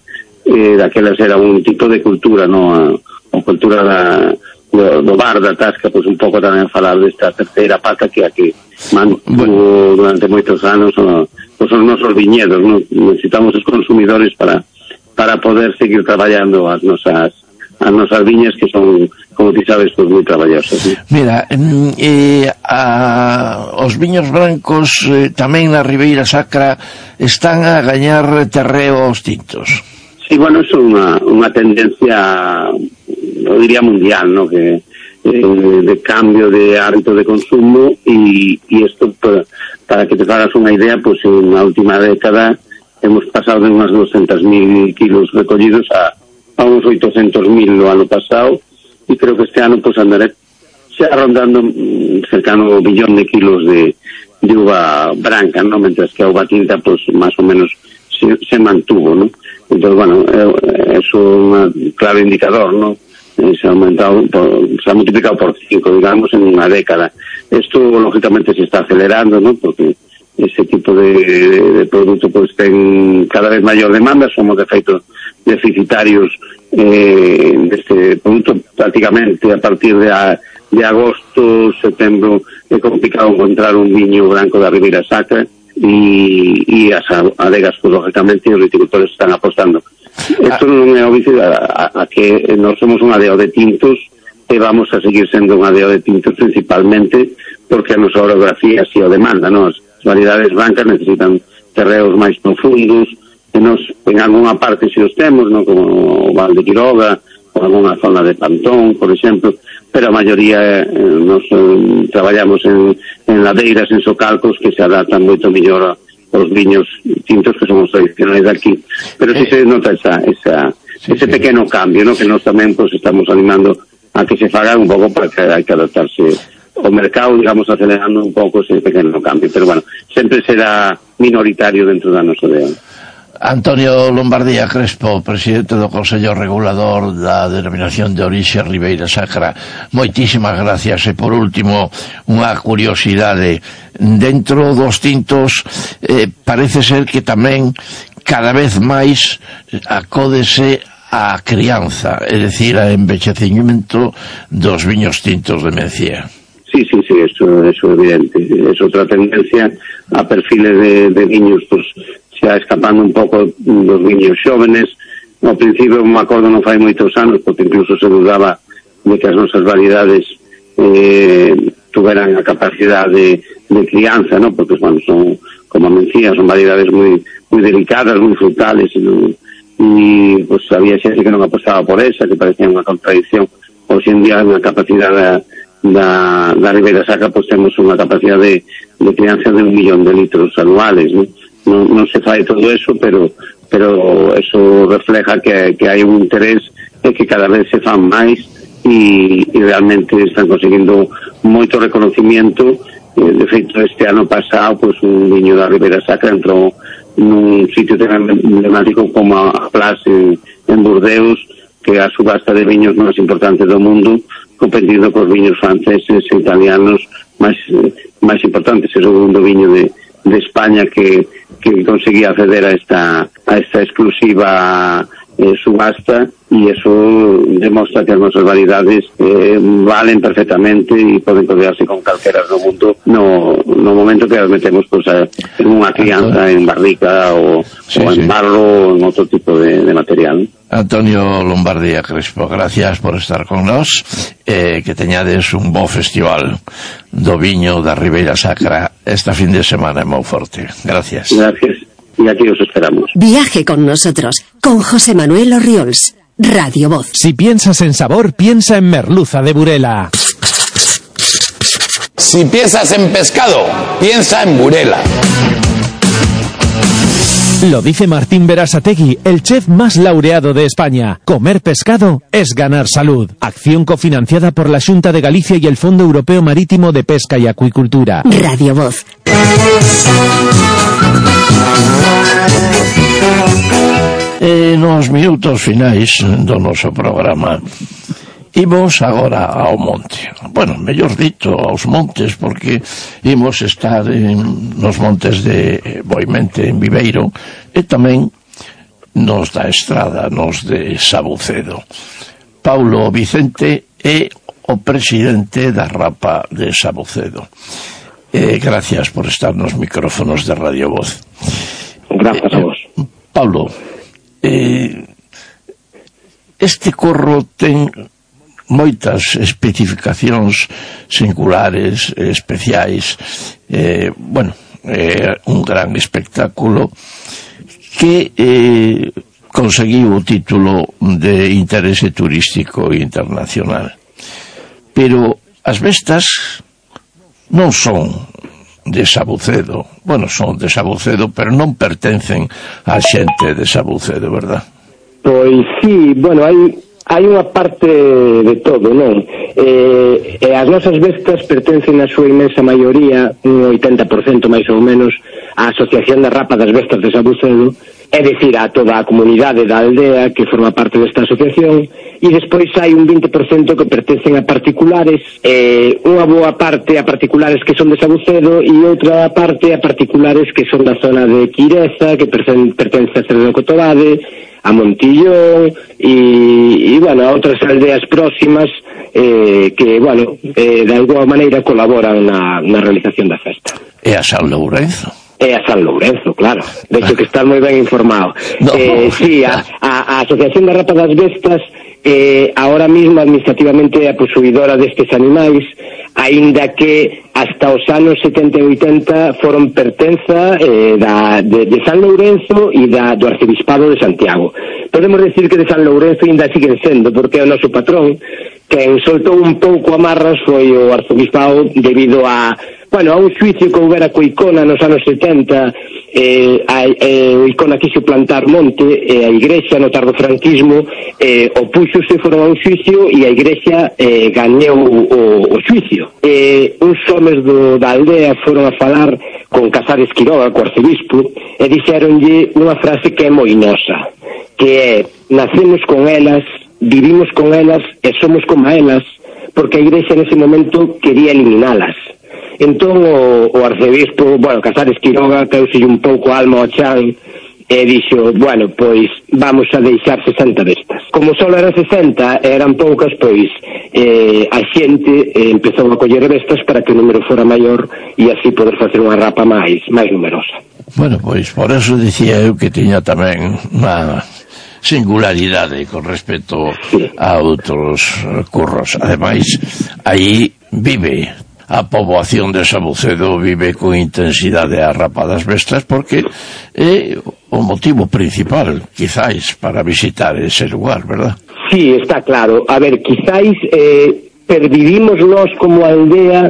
eh, daquelas era un tipo de cultura, ¿no? A, a cultura da do, do bar, da tasca, pues un pouco tamén falar desta terceira pata que a que mantuvo durante moitos anos o, os nosos viñedos, ¿no? Necesitamos os consumidores para para poder seguir traballando as nosas as nosas viñas, que son, como ti sabes, pues moi traballosas, ¿sí? Mira, eh, a, os viños brancos eh, tamén na Ribeira Sacra están a gañar terreo aos tintos. Sí, bueno, eso é unha, unha tendencia, eu diría mundial, ¿no? Que eh, de cambio de hábito de consumo, e isto, para, para que te hagas unha idea, pues en a última década hemos pasado de unhas doscientos mil kilos recollidos a, a uns oitocentos mil no ano pasado, e creo que este ano pues andaré xa rondando cercano ao billón de kilos de, de uva branca, ¿no? Mientras que a uva tinta pues más o menos se, se mantuvo, ¿no? Entonces, bueno, eso é un claro indicador, ¿no? Se ha aumentado, por, se ha multiplicado por cinco, digamos, en una década. Esto, lógicamente, se está acelerando, ¿no? Porque ese tipo de, de, de producto pues ten cada vez mayor demanda. Somos, de feito, deficitarios eh, deste producto prácticamente a partir de, a, de agosto, setembro. É complicado encontrar un viño branco da Ribeira Sacra, e, e as adegas, pues, lógicamente, os viticultores están apostando. Isto non é obvio a, a, a que nós somos un adeo de tintos, e vamos a seguir sendo un adeo de tintos principalmente porque a nosa orografía así o demanda, non? As variedades brancas necesitan terreos máis profundos, e nos, en algunha parte si os temos, non? Como o Val de Quiroga, ou algunha zona de Pantón, por exemplo, pero a maioría eh, nos eh, traballamos en, en ladeiras, en socalcos que se adaptan moito mellor a os viños tintos que somos tradicionais de aquí. Pero si se nota esa, esa, sí, ese sí. pequeno cambio, ¿no? Que nós tamén pues, estamos animando a que se faga un pouco, para que hai que adaptarse o mercado, digamos, acelerando un pouco ese pequeno cambio. Pero bueno, sempre será minoritario dentro da nosa idea. Antonio Lombardía Crespo, presidente do Consello Regulador da Denominación de Orixe Ribeira Sacra, moitísimas gracias. E por último, unha curiosidade, dentro dos tintos eh, parece ser que tamén cada vez máis acódese a crianza, é dicir, a envexecimiento dos viños tintos de Mencía. Sí, sí, sí, eso, eso é evidente. É outra tendencia a perfiles de, de viños, pues, xa escapando un pouco dos viños xóvenes. Ao principio, me acordo, non fai moitos anos, porque incluso se dudaba de que as nosas variedades eh, tuveran a capacidade de, de crianza, ¿no? Porque, bueno, son, como Mencía, son variedades moi moi delicadas, moi frutales, e, e pues, había xente que non apostaba por esa, que parecía unha contradicción. Hoxe en día, na capacidade da, da Ribeira Sacra, pues temos unha capacidade de, de crianza de un millón de litros anuales, ¿no? Non, non se fai todo eso, pero pero eso refleja que, que hai un interés e que cada vez se fan máis, e, e realmente están conseguindo moito reconocimiento. De feito, este ano pasado, pues, un viño da Ribeira Sacra entrou nun sitio tan emblemático como a Place en, en Burdeos, que é a subasta de viños máis importante do mundo, competindo cos viños franceses e italianos máis, máis importantes. É o segundo viño de, de España que que conseguía acceder a esta a esta exclusiva eh, subasta, e eso demostra que as nosas variedades eh, valen perfectamente e poden codearse con calqueras no mundo no, no momento que as metemos, pues, a, en unha crianza, en barrica ou, sí, o en sí. barro ou en outro tipo de, de material. Antonio Lombardía Crespo, gracias por estar con nós, eh, que teñades un bo festival do viño da Ribeira Sacra esta fin de semana en Monforte. Gracias. Gracias, y aquí os esperamos. Viaje con nosotros, con José Manuel Orriols, Radio Voz. Si piensas en sabor, piensa en merluza de Burela. Si piensas en pescado, piensa en Burela. Lo dice Martín Berasategui, el chef más laureado de España. Comer pescado es ganar salud. Acción cofinanciada por la Xunta de Galicia y el Fondo Europeo Marítimo de Pesca y Acuicultura. Radio Voz. E nos minutos finais do noso programa imos agora ao monte. Bueno, mellor dito, aos montes, porque imos estar en, nos montes de Boimente, en Viveiro, e tamén nos da Estrada, nos de Sabucedo. Paulo Vicente é o presidente da Rapa de Sabucedo. Eh, gracias por estar nos micrófonos de Radio Voz. Gracias a vos. Eh, Paulo, eh, este corro ten moitas especificacións singulares, especiais, eh, bueno, é eh, un gran espectáculo que eh, conseguiu o título de interese turístico internacional. Pero as bestas non son de Sabucedo. Bueno, son de Sabucedo, pero non pertencen á xente de Sabucedo, verdad? Pois sí, bueno, hai hai unha parte de todo, non? Eh, e as nosas bestas pertencen a súa inmensa maioría, un oitenta por cento máis ou menos, á Asociación de Rapa das Bestas de Sabucedo, é dicir, a toda a comunidade da aldea que forma parte desta asociación, e despois hai un vinte por cento que pertencen a particulares, eh, unha boa parte a particulares que son de Sabucedo e outra parte a particulares que son da zona de Quireza, que pertence a Cerdo Cotobade, a Montillón e, e bueno, a outras aldeas próximas eh, que, bueno, eh, de alguma maneira colaboran na, na realización da festa. E a San Lourenzo? É a San Lourenzo, claro. De hecho, que estás moi ben informado. No, eh, sí, a, a, a Asociación da Rapa das Bestas eh, ahora mismo administrativamente é a posuidora destes animais, aínda que hasta os anos setenta e oitenta foron pertenza eh, da, de, de San Lourenzo e da, do Arcebispado de Santiago. Podemos decir que de San Lourenzo ainda siguen sendo, porque é o noso patrón. Quen soltou un pouco amarras foi o Arcebispado debido a, bueno, a un xuicio que houbera co Icona nos anos setenta. eh, a, eh, o Icona quixo plantar monte e a igrexa no tardofranquismo eh, opúxose, foron a un xuicio e a igrexa eh, gañou o, o xuicio. Eh, uns homes do, da aldea foron a falar con Casares Quiroga, co arcebispo, e dixeronlle unha frase que é moi nosa, que é: nacemos con elas, vivimos con elas e somos como elas, porque a igrexa nese momento quería eliminalas. Entón o, o arcebispo, bueno, Casares Quiroga, causelle un pouco a alma ao chan e dixo, bueno, pois vamos a deixar sesenta destas. Como só eran sesenta, eran poucas, pois eh, a xente eh, empezou a coller bestas para que o número fora maior e así poder facer unha rapa máis máis numerosa. Bueno, pois por eso dicía eu que tiña tamén unha singularidade con respecto a outros curros. Ademais, aí vive a poboación de Sabucedo, vive con intensidade a rapa das bestas, porque é o motivo principal, quizáis, para visitar ese lugar, verdad? Sí, está claro. A ver, quizáis eh, pervivimos nós como aldea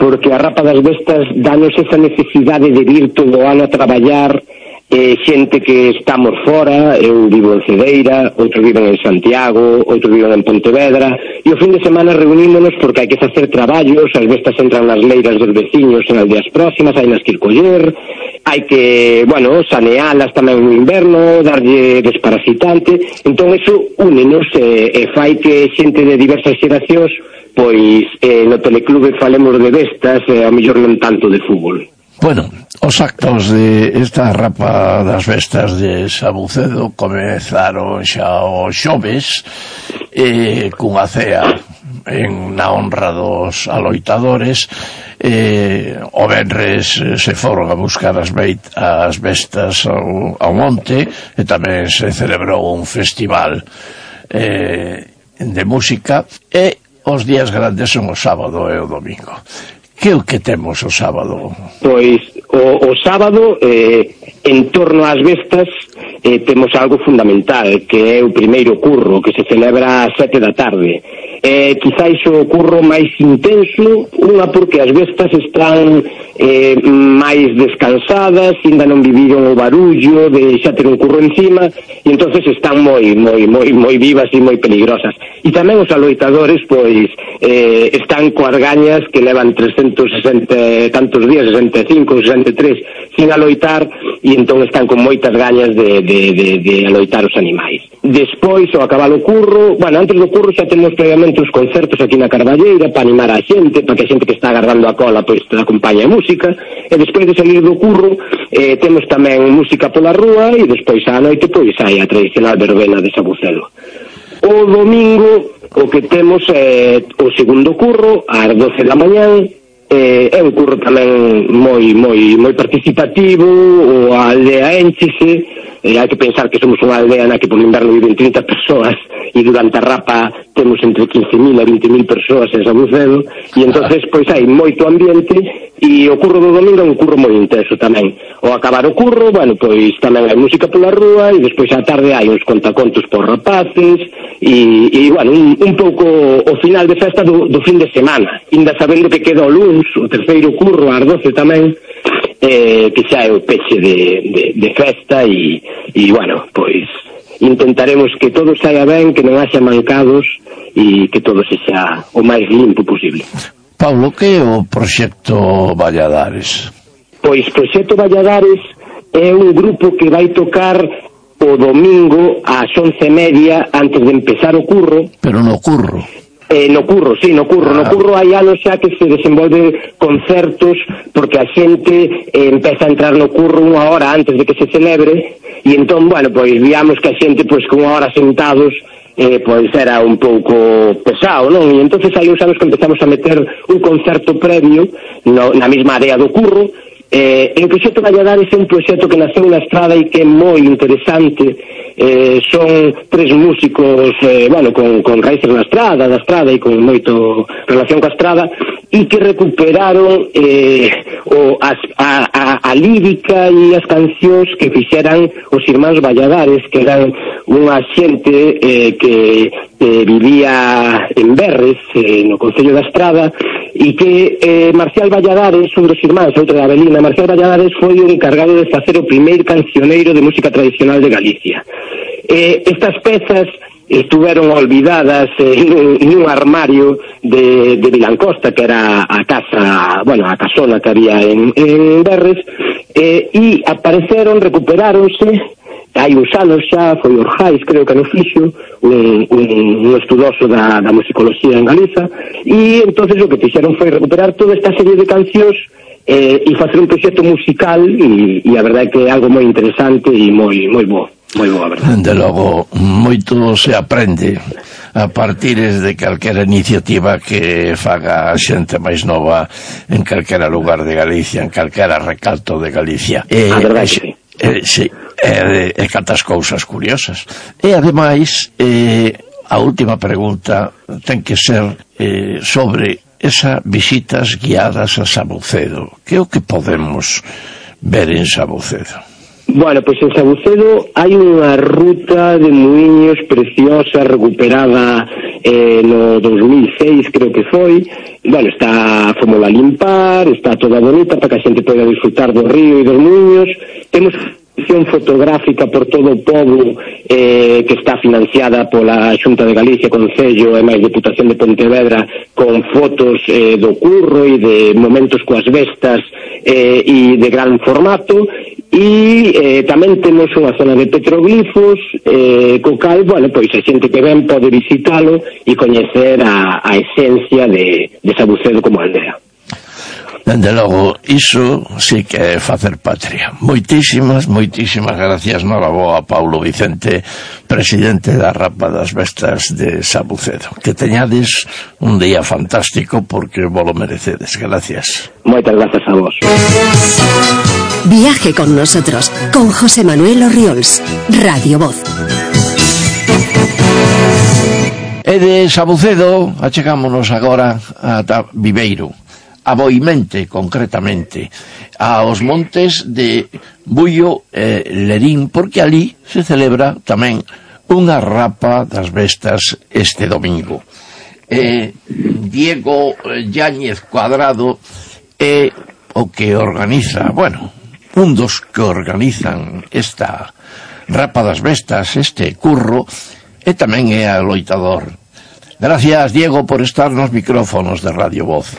porque a rapa das bestas danos esa necesidade de vir todo o ano a traballar. Eh, xente que estamos fora, eu vivo en Cedeira, outros viven en Santiago, outros viven en Pontevedra, e o fin de semana reunímonos porque hai que facer traballos, as bestas entran nas leiras dos veciños en aldeas próximas, hai nas que ir coller, hai que, bueno, sanealas tamén no inverno, darlle desparasitante. Entón eso únenos e, e fai que xente de diversas xeracións, pois eh, no teleclube falemos de bestas e a mellor non tanto de fútbol. Bueno, os actos de esta rapa das bestas de Sabucedo comezaron xa os xoves eh, cunha cea en na honra dos aloitadores. eh, o venres se foron a buscar as, beit, as bestas ao, ao monte, e tamén se celebrou un festival eh, de música, e os días grandes son o sábado e o domingo. Que o que temos o sábado? Pois o, o sábado eh, en torno ás bestas eh, temos algo fundamental, que é o primeiro curro, que se celebra ás sete da tarde. Eh, quizáis o curro máis intenso, unha porque as bestas están eh, máis descansadas, ainda non viviron o barullo de xa ter un curro encima, e entonces están moi moi moi moi vivas e moi peligrosas. E tamén os aloitadores pois eh, están coas gañas que levan trescentos e sesenta tantos días, sesenta e cinco, sesenta e tres sin aloitar, e entón están con moitas gañas de, de, de, de aloitar os animais. Despois, ao acabar o curro, bueno, antes do curro xa temos previamente os concertos aquí na Carballeira para animar a xente, para que a xente que está agardando a cola pois te acompañe a música, e despois de salir do curro eh, temos tamén música pola rúa, e despois á noite pois hai a tradicional verbena de Sabucedo. O domingo o que temos é o segundo curro ás doce da mañán, eh, é un curro tamén moi moi moi participativo, o a aldea énchese, e hai que pensar que somos unha aldea na que por inverno viven trinta persoas e durante a rapa temos entre quince mil e vinte mil persoas en Sabucedo, e entonces pois hai moito ambiente, e o curro do domingo é un curro moi intenso tamén. O acabar o curro, bueno, pois tamén hai música pola rúa, e despois á tarde hai uns contacontos por rapaces, e, e bueno, un, un pouco o final de festa do, do fin de semana, ainda sabendo que queda o luns, o terceiro curro ás doce tamén, eh, que xa é o peche de, de, de festa, e, e bueno, pois intentaremos que todo saia ben, que non haxa mancados, e que todo sexa o máis limpo posible. Pablo, que é o proxecto Valladares? Pois Proxecto Valladares é un grupo que vai tocar o domingo ás once e media antes de empezar o curro. Pero no curro? Eh, no curro, sí, no curro. Ah. No curro hai anos xa que se desenvolve concertos, porque a xente eh, empeza a entrar no curro unha hora antes de que se celebre, e entón, bueno, pois víamos que a xente, pois, con unha hora sentados, eh, pois era un pouco pesado, non? E entonces hai uns anos que empezamos a meter un concerto previo no, na mesma área do curro. Eh, en Proxecto Valladares é un proxecto que naceu na estrada e que é moi interesante. Eh, son tres músicos, eh, bueno, con, con raíces na estrada, da estrada e con moito relación ca estrada, e que recuperaron eh, o, as, a, a, a lírica e as cancións que fixeran os irmáns Valladares, que eran unha xente eh, que, que vivía en Berres, eh, no Concello da Estrada, e que eh, Marcial Valladares, un dos irmáns, outro de Avelina, Marcial Valladares foi o encargado de facer o primeiro cancioneiro de música tradicional de Galicia. Eh, estas pezas estuveron olvidadas eh, nun, nun armario de, de Vilancosta, que era a casa, bueno, a casona que había en, en Berres, eh, e apareceron, recuperáronse. Hai uns anos xa, foi Orjais, creo que no fixo, un, un, un estudoso da, da musicoloxía en Galiza, e entonces o que fixeron foi recuperar toda esta serie de cancións eh, e facer un proxecto musical, e, e a verdade é que é algo moi interesante e moi moi bo, moi bo, a verdade. De logo, moito se aprende a partir de calquera iniciativa que faga a xente máis nova en calquera lugar de Galicia, en calquera recalto de Galicia. Eh, a verdade que sí. Eh, sí, e eh, cantas cousas curiosas. E ademais, eh, a última pregunta ten que ser eh, sobre esas visitas guiadas a Sabucedo. Que é o que podemos ver en Sabucedo? Bueno, pois en Sabucedo hai unha ruta de muiños preciosa, recuperada eh, no dos mil seis, creo que foi. Bueno, está fomos a limpar, está toda bonita para que a xente poida disfrutar do río e dos muiños. Temos exposición fotográfica por todo o pobo eh, que está financiada pola Xunta de Galicia, Concello e máis Deputación de Pontevedra, con fotos eh, do curro e de momentos coas bestas eh, e de gran formato. E eh, tamén temos unha zona de petroglifos, eh, co cal, bueno, pois a xente que ven pode visitalo e coñecer a, a esencia de, de Sabucedo como aldea. Dende logo, iso sí que é facer patria. Moitísimas, moitísimas gracias, noraboa, Paulo Vicente, presidente da Rapa das Bestas de Sabucedo. Que teñades un día fantástico, porque vos lo merecedes. Gracias. Moitas gracias a vos. Viaje con nosotros, con José Manuel Orriols, Radio Voz. E de Sabucedo achegámonos agora a Viveiro, a Boimente, concretamente, aos montes de Bullo e Lerín, porque ali se celebra tamén unha rapa das bestas este domingo. Eh, Diego Yáñez Cuadrado é o que organiza, bueno, un dos que organizan esta rapa das bestas, este curro, e tamén é a loitador. Gracias, Diego, por estar nos micrófonos de Radio Voz.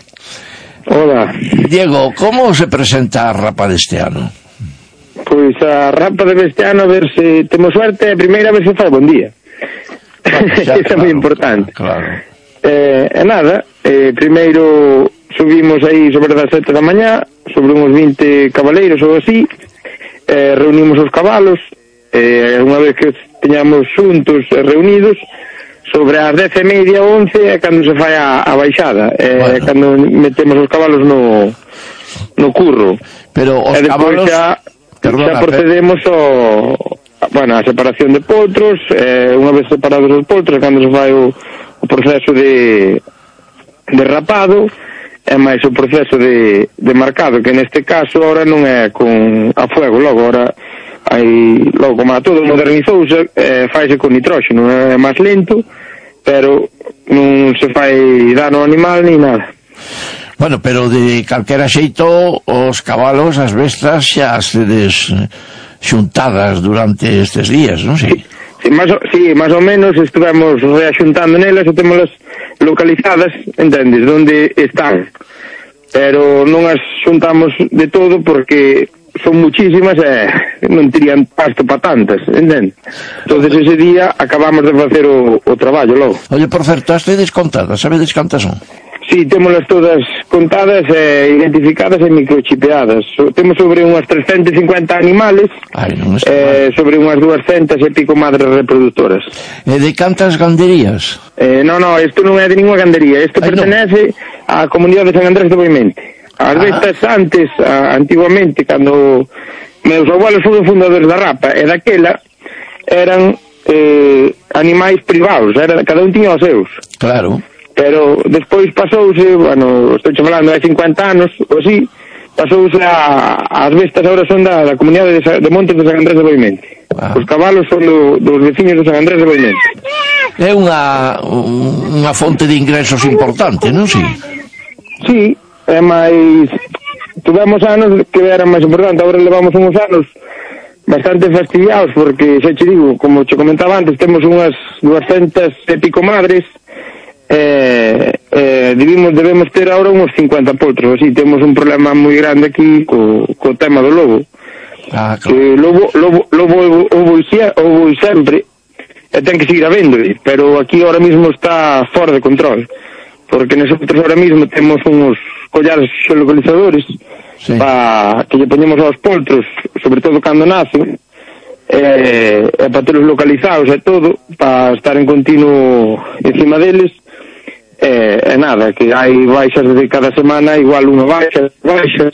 Hola. Diego, como se presenta a rapa deste ano? Pois a rapa deste ano, a ver se temos suerte, a primeira vez se fai bon día. Eso é moi importante. Claro. Eh, e nada, eh, primeiro subimos aí sobre das sete da mañá, sobre uns vinte cabaleiros ou así, eh, reunimos os cabalos, eh, unha vez que teñamos xuntos e reunidos, sobre as dez e media, once, é cando se fai a, a baixada, é bueno. Cando metemos os cabalos no, no curro. Pero os e despois cabalos... xa, Perdona, xa procedemos ao, bueno, a separación de potros, eh, unha vez separados os potros, cando se fai o, o proceso de, de rapado, é máis o proceso de, de marcado, que neste caso ahora non é con a fuego, logo ahora hai, logo como a todo modernizouse, eh, faise con nitróxeno, é máis lento, pero non se fai dano ao animal ni nada. Bueno, pero de calquera xeito os cabalos, as bestas xa sedes xuntadas durante estes días, non sei? Sí, máis, sí, máis ou menos estivemos reaxuntando nelas e temolas localizadas, entendes, onde están, pero non as xuntamos de todo porque son muchísimas e non terían pasto para tantas, entendes? Entonces ese día acabamos de facer o, o traballo logo. Oye, por certo, as tedes contadas, sabedes cantas son? Sí, témolas todas contadas e identificadas e microchipeadas. So, temos sobre unhas trescentos e cincuenta animales. Ai, non está eh, sobre unhas duascentas e pico madres reproductoras. E de cantas ganderías? Eh, non, non, isto non é de ninguna gandería. Isto Ai, pertenece á comunidade de San Andrés de Boimente. As bestas antes, a, antiguamente, cando meus abuelos foron fundadores da rapa, e daquela eran eh, animais privados, era, cada un tiña os seus. Claro. Pero despois pasouse, bueno, estou falando de cincuenta anos, ou así, pasouse a, as bestas agora son da, da comunidade de, de Montes de San Andrés de Boimente. Ah. Os cabalos son do, dos veciños de San Andrés de Boimente. É unha, unha fonte de ingresos importante, non si? Sí, é máis... Tuvemos anos que eran máis importante, agora levamos uns anos bastante fastidiados, porque, xa che digo, como che comentaba antes, temos unhas duascentas e pico madres, Eh, eh, debemos, debemos ter ahora uns cincuenta potros, así temos un problema moi grande aquí co, co tema do lobo. Ah, claro. Que lobo, lobo, lobo houbo sempre e ten que seguir habendo, pero aquí ahora mismo está fora de control, porque nosotros ahora mismo temos uns collares xeolocalizadores, sí, pa, que lle poñemos aos potros, sobre todo cando nacen, e, e para telos localizados e todo, para estar en continuo encima deles. E, e nada, que hai baixas de cada semana, igual unha baixa, baixas,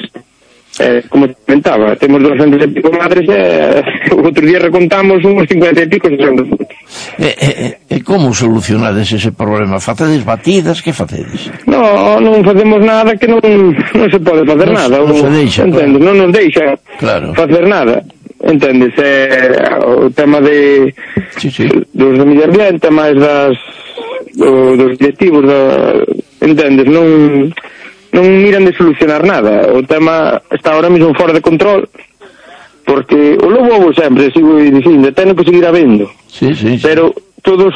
eh, como te comentaba, temos doscientos e pico madres e o outro día recontamos uns cincuenta e pico sesenta. E, e, e como solucionades ese problema? Facedes batidas? Que facedes? No, non facemos nada, que non, non se pode facer no, nada. Non se deixa, entendes? Claro. Non nos deixa claro. facer nada. Entendes? Eh, o tema de sí, sí. dos de medio ambiente, máis das do, dos directivos da, entendes? Non non miran de solucionar nada. O tema está ahora mesmo fora de control, porque o lobo houbo sempre, sigo dicindo, ten que seguir habendo. Sí, sí, sí. Pero todos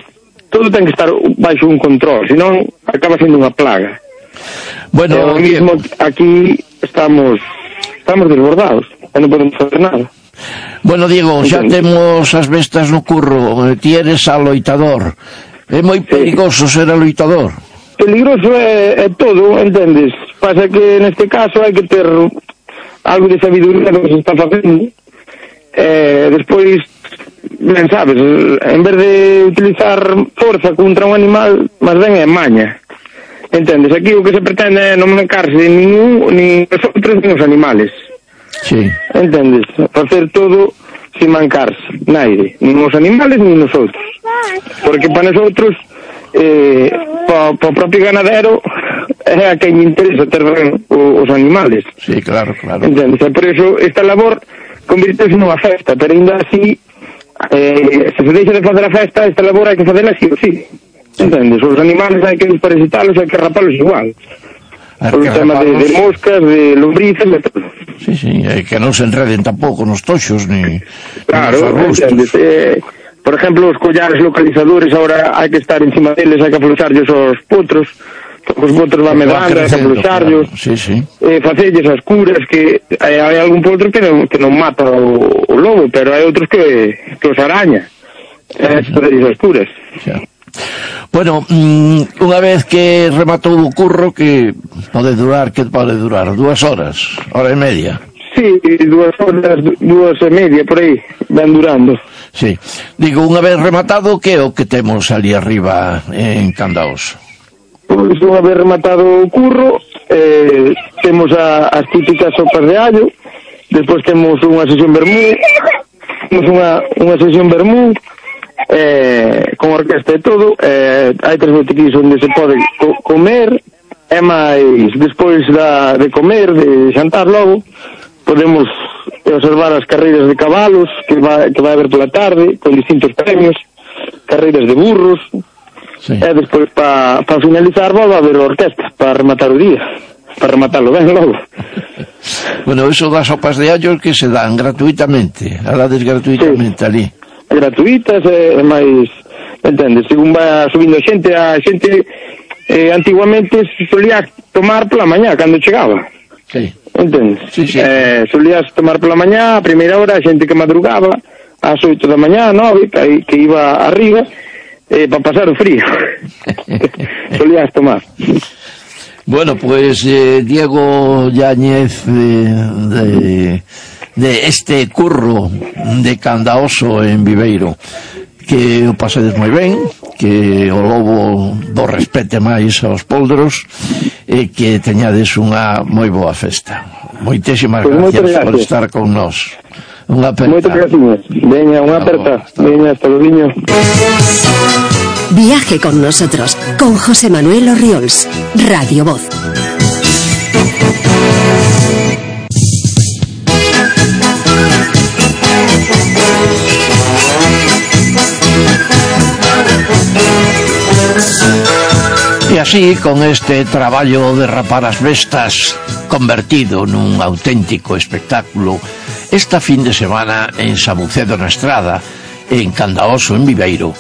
todo ten que estar baixo un control, senón acaba sendo unha plaga. Bueno, e ahora mismo aquí estamos estamos desbordados, e non podemos facer nada. Bueno, Diego, xa temos as bestas no curro, ti eres aloitador. É moi perigoso sí. ser aloitador. Peligroso é, é todo, entendes? Pasa que neste caso hai que ter algo de sabiduría do que se está facendo. Eh, despois, ben sabes, en vez de utilizar forza contra un animal, máis ben é maña. Entendes? Aquí o que se pretende é non mancarse nin un, nin os outros, nin os animales. Sí. Entendes? Facer todo sin mancarse, naide, nin os animales nin os outros. Porque para nosotros, eh, para o propio ganadero, é a que lle interesa ter ben os animales. Sí, claro, claro. Entendes? E por eso esta labor convirtese nunha festa, pero ainda así, eh, se se deixa de facer a festa, esta labor hai que facela así ou sí. Entendes? Os animales hai que desparasitarlos, hai que rapalos igual. Por o tema de, de moscas, de lombrices, de todo. Sí, sí, é que non se enreden tampouco nos toxos, ni claro, nos entendes? Eh, por exemplo, os collares localizadores, ahora hai que estar encima deles, hai que afluxarllos os potros, os potros van medando, hai que afluxarllos, claro. Sí, sí. Eh, facelles as curas, que hai, hai algún potro que non, que non mata o, o lobo, pero hai outros que, que os araña. É, sí, facelles as curas. Sí. Bueno, mm, unha vez que rematou o curro, que pode durar, que pode durar? Dúas horas, hora e media? Sí, dúas horas, dúas e media, por aí, van durando. Sí. Digo, unha vez rematado, que é o que temos ali arriba en Candaoso? Pois unha vez rematado o curro, eh, temos a, as típicas sopas de allo, despois temos unha sesión vermú, temos unha, unha sesión vermú, eh, con orquesta e todo, eh, hai tres botiquís onde se pode co comer, e máis, despois da, de comer, de xantar logo, podemos observar as carreiras de cabalos que vai, que vai haber pola tarde con distintos premios, carreiras de burros, sí. E despois para pa finalizar volve a haber orquesta para rematar o día, para rematarlo ben logo. Bueno, eso das sopas de allo que se dan gratuitamente, alades gratuitamente, sí. Ali gratuitas e, e máis, entendes, según vai subindo xente, a xente eh, antiguamente solía tomar pola mañá cando chegaba. Sí. Entendes? Sí, sí. Eh, solías tomar pola mañá, a primeira hora, a xente que madrugaba, ás oito da mañá, nove, que, que iba arriba, eh, para pasar o frío. Solías tomar. Bueno, pues eh, Diego Yáñez eh, de, de este curro de Candaoso en Viveiro, que o pasedes moi ben, que o lobo do respete máis aos poldros e que teñades unha moi boa festa. Moitísimas pues gracias por estar con nós. Unha aperta. Moitas gracias. Veña, unha aperta. Veña, hasta luego. Viaje con nosotros, con José Manuel Orriols, Radio Voz. E así, con este traballo de rapar as bestas convertido nun auténtico espectáculo, esta fin de semana en Sabucedo na Estrada, en Candaoso, en Viveiro,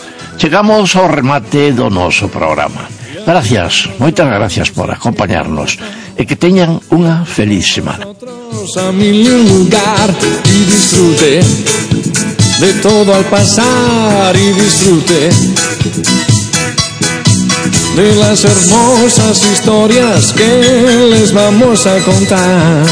chegamos ao remate do noso programa. Gracias, moitas gracias por acompañarnos e que teñan unha feliz semana. A mil lugar y disfrute de todo al pasar y disfrute de las hermosas historias que les vamos a contar.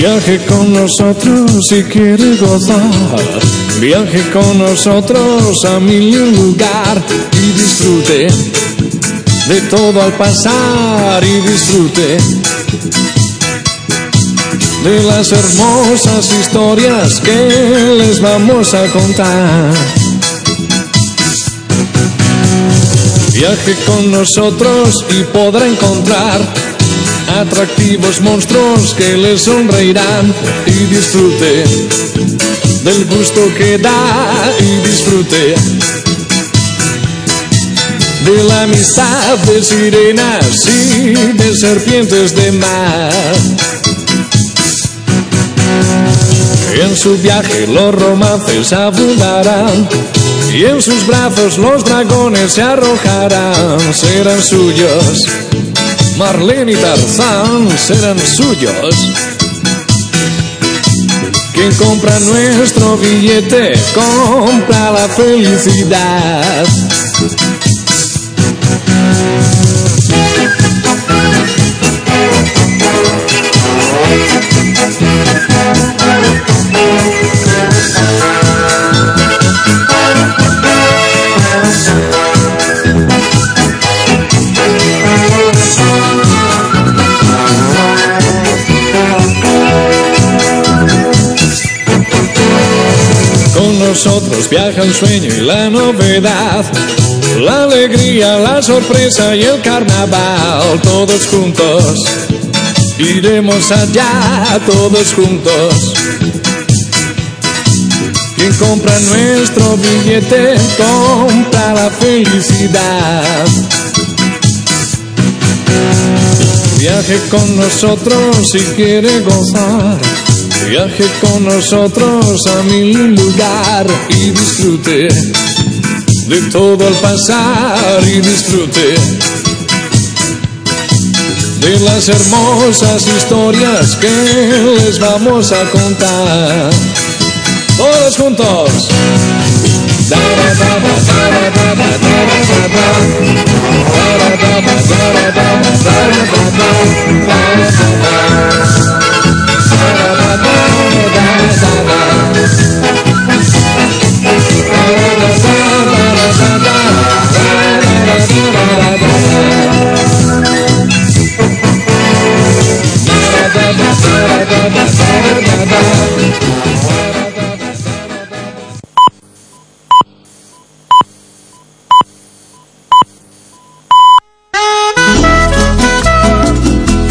Viaje con nosotros si quiere gozar, viaje con nosotros a mil lugar y disfrute de todo al pasar y disfrute de las hermosas historias que les vamos a contar. Viaje con nosotros y podrá encontrar atractivos monstruos que le sonreirán y disfrute del gusto que da y disfrute de la amistad de sirenas y de serpientes de mar. En su viaje los romances abundarán y en sus brazos los dragones se arrojarán. Serán suyos Marlene y Tarzán, serán suyos. Quien compra nuestro billete compra la felicidad. Nosotros viaja el sueño y la novedad, la alegría, la sorpresa y el carnaval. Todos juntos iremos allá, todos juntos. Quien compra nuestro billete compra la felicidad. Viaje con nosotros si quiere gozar, viaje con nosotros a mil lugar y disfrute de todo al pasar y disfrute de las hermosas historias que les vamos a contar. Todos juntos.